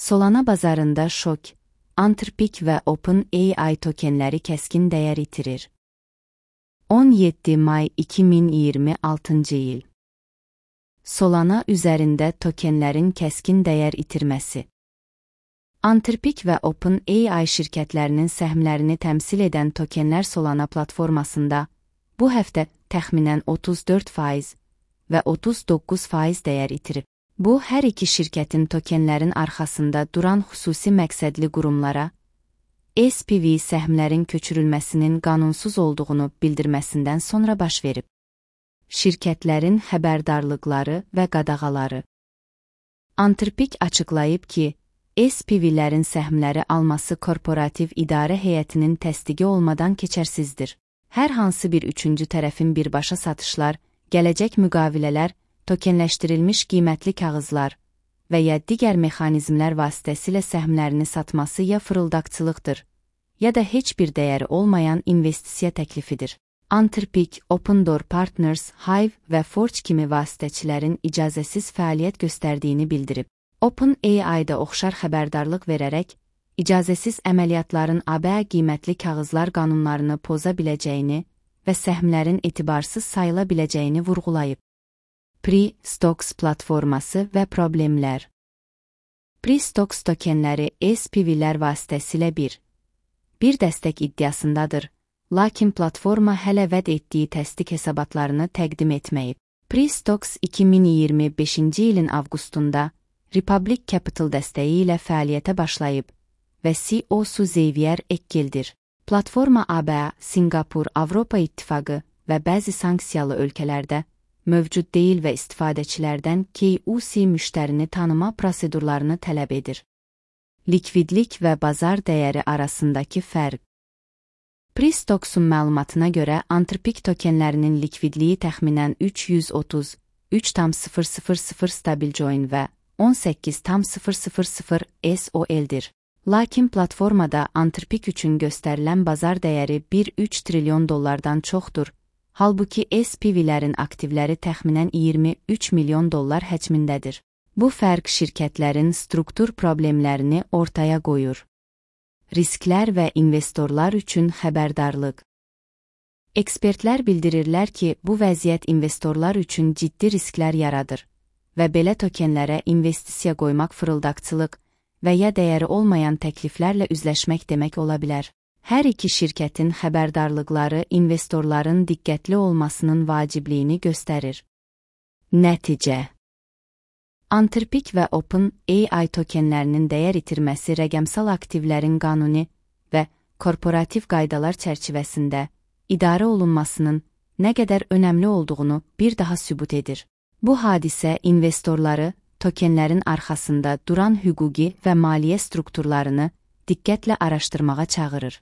Solana bazarında şok, Anthropic və OpenAI tokenləri kəskin dəyər itirir. 17 may 2026 il. Solana üzərində tokenlərin kəskin dəyər itirməsi. Anthropic və OpenAI şirkətlərinin səhmlərini təmsil edən tokenlər Solana platformasında bu həftə təxminən 34% və 39% dəyər itirib. Bu, hər iki şirkətin tokenlərin arxasında duran xüsusi məqsədli qurumlara SPV səhmlərin köçürülməsinin qanunsuz olduğunu bildirməsindən sonra baş verib. Şirkətlərin xəbərdarlıqları və qadağaları. Anthropic açıqlayıb ki, SPV-lərin səhmləri alması korporativ idarə heyətinin təsdiqi olmadan keçərsizdir. Hər hansı bir üçüncü tərəfin birbaşa satışlar, gələcək müqavilələr, tokenləşdirilmiş qiymətli kağızlar və ya digər mexanizmlər vasitəsilə səhmlərini satması ya fırıldaqçılıqdır, ya da heç bir dəyəri olmayan investisiya təklifidir. Anthropic, Opendoor Partners, Hive və Forge kimi vasitəçilərin icazəsiz fəaliyyət göstərdiyini bildirib. OpenAI-da oxşar xəbərdarlıq verərək, icazəsiz əməliyyatların ABA qiymətli kağızlar qanunlarını poza biləcəyini və səhmlərin etibarsız sayıla biləcəyini vurğulayıb. Pre-Stocks platforması və problemlər. Pre-Stocks tokenləri SPV-lər vasitəsilə bir dəstək iddiasındadır, lakin platforma hələ vəd etdiyi təsdiq hesabatlarını təqdim etməyib. Pre-Stocks 2025-ci ilin avqustunda Republic Capital dəstəyi ilə fəaliyyətə başlayıb və CEO-su Xavier Ekkeldir. Platforma ABA, Singapur, Avropa İttifaqı və bəzi sanksiyalı ölkələrdə mövcud deyil və istifadəçilərdən KYC müştərini tanıma prosedurlarını tələb edir. Likvidlik və bazar dəyəri arasındakı fərq. Pre-Stocks'un məlumatına görə Anthropic tokenlərinin likvidliyi təxminən 333,000 stablecoin və 18,000 SOL-dir. Lakin platformada Anthropic üçün göstərilən bazar dəyəri 1,3 trilyon dollardan çoxdur. Halbuki SPV-lərin aktivləri təxminən 23 milyon dollar həcmindədir. Bu fərq şirkətlərin struktur problemlərini ortaya qoyur. Risklər və investorlar üçün xəbərdarlıq. Ekspertlər bildirirlər ki, bu vəziyyət investorlar üçün ciddi risklər yaradır və belə tokenlərə investisiya qoymaq fırıldaqçılıq və ya dəyəri olmayan təkliflərlə üzləşmək demək ola bilər. Hər iki şirkətin xəbərdarlıqları investorların diqqətli olmasının vacibliyini göstərir. Nəticə. Anthropic və OpenAI tokenlərinin dəyər itirməsi rəqəmsal aktivlərin qanuni və korporativ qaydalar çərçivəsində idarə olunmasının nə qədər önəmli olduğunu bir daha sübut edir. Bu hadisə investorları tokenlərin arxasında duran hüquqi və maliyyə strukturlarını diqqətlə araşdırmağa çağırır.